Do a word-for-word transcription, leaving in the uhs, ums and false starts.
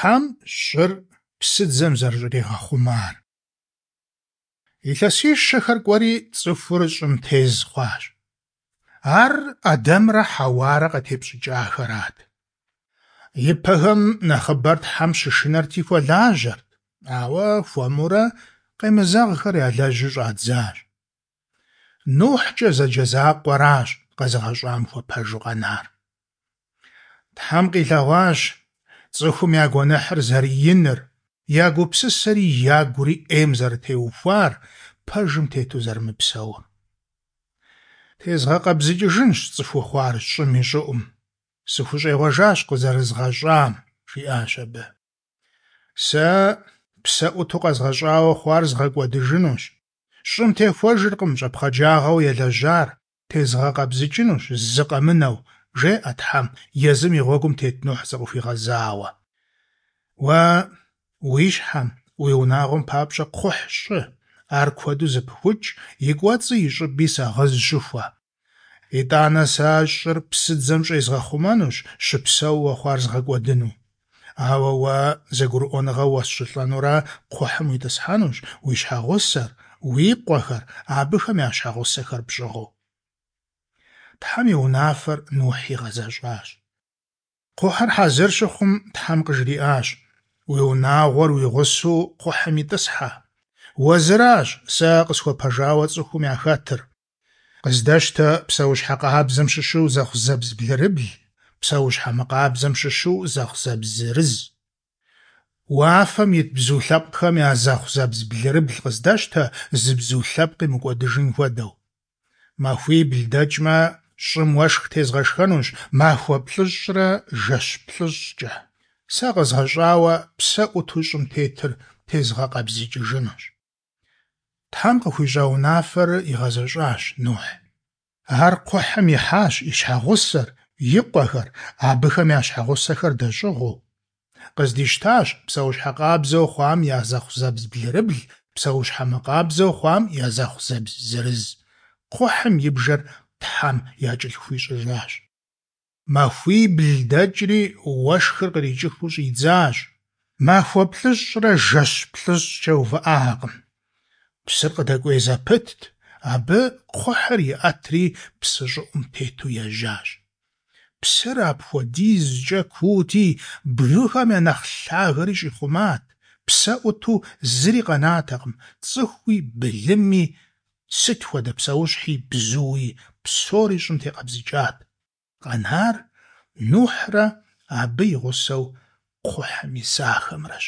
Тхьэм щӏыр псыдзэм зэрыщӏригъэхъумар. Илъэсищэхэр кӏуэри, цӏыхур щӏым тез хъуащ. Ар Ӏэдэмрэ Хьэуарэ къатепщӏыкӏахэрат. Ипэхэм нэхъыбэр Тхьэм щышынэрти хуэлажьэрт, ауэ хуэмурэ къемызэгъхэр ялэжьу щӏадзащ. НухькӀэ зэджэ закъуэращ къэзыгъэщӏам хуэпэжу къэнар. Тхьэм къилъэгъуащ цӏыхум я гуэныхьыр зэрыиныр, я гупсысэри ягури ӏейм зэрытеухуар, пэжым тету зэрымыпсэур. Тезгъэкъэбзыкӏыжынщ цӏыхуу хъуар щӏым и щӏыӏум. Сыхущӏегъуэжащ къызэрызгъэщӏам, жиӏащ абы. Сэ псэ ӏуту къэзгъэщӏауэ хъуар згъэкӏуэдыжынущ. Щӏым техуэжыркъым щӏэпхъаджагъэу ялэжьар, тезгъэкъэбзыкӏынущ зы къэмынэу, жеӏэ Тхьэм езым и гъуэгум тет Нухь зыкъыхуигъэзауэ. Уэ уи щхьэм, уи унагъуэм папщӏэ кхъухь щӏы, ар куэду зэпыхукӏ, и кӏуэцӏи и щӏыби сагъыз щыхуэ. Итӏанэ сэ щӏыр псыдзэм щӏезгъэхъумэнущ, щыпсэууэ хъуар згъэкӏуэдыну. Ауэ уэ зэгурыӏуэныгъэ уэсщӏылӏэнурэ кхъухьым уитӏысхьэнущ, уи щхьэгъусэр, уи къуэхэр, абыхэм я щхьэгъусэхэр пщӏыгъуу. Тхьэм и унафэр Нухь игъэзэщӏащ. Кхъухьыр хьэзыр щыхъум, Тхьэм къыжриӏащ: Уи унагъуэр уи гъусэу кхъухьым итӏысхьэ. Уэ зыращ сэ къысхуэпэжауэ цӏыхум яхэтыр. Къыздэщтэ псэущхьэ къабзэм щыщу зэхъузэбз блырыбл, псэущхьэ мыкъабзэм щыщу зэхъузэбз зырыз. Уафэм ит бзу лъэпкъхэм я зэхъузэбз блырыбл къыздэщтэ, зы бзу лъэпкъи мыкӏуэдыжын хуэдэу. Махуибл дэкӏмэ, щӏым уэшх тезгъэшхэнущ махуэ плӏыщӏрэ жэщ плӏыщӏкӏэ. Сэ къэзгъэщӏауэ псэ ӏуту щӏым тетыр тезгъэкъэбзыкӏыжынущ. Тхьэм къыхуищӏа унафэр игъэзэщӏащ Нухь. Ар кхъухьым ихьащ и щхьэгъусэр, и къуэхэр, абыхэм я щхьэгъусэхэр дэщӏыгъуу. Къыздищтащ псэущхьэ къабзэу хъуам я зэхъузэбз блырыбл, псэущхьэ мыкъабзэу хъуам я зэхъузэбз зырыз. Кхъухьым и бжэр Тхьэм якӏэлъыхуищӏыжащ. Махуибл дэкӏри уэшхыр кърикӏыхыу щӏидзащ. Махуэ плӏыщӏрэ жэщ плӏыщӏкӏэ увыӏакъым. Псыр къыдэкӏуей зэпытт, абы кхъухьыр иӏэтри псы щӏыӏум тету ежьащ. Псыр апхуэдизкӏэ куути, бгыхэм я нэхъ лъагэри щӏихъумат, псэ ӏуту зыри къэнатэкъым, цӏыхуи, былыми, сыт хуэдэ псэущхьи, бзуи, псори щӏым текъэбзыкӏат. Къэнар Нухьрэ абы и гъусэу кхъухьым исахэмрэщ.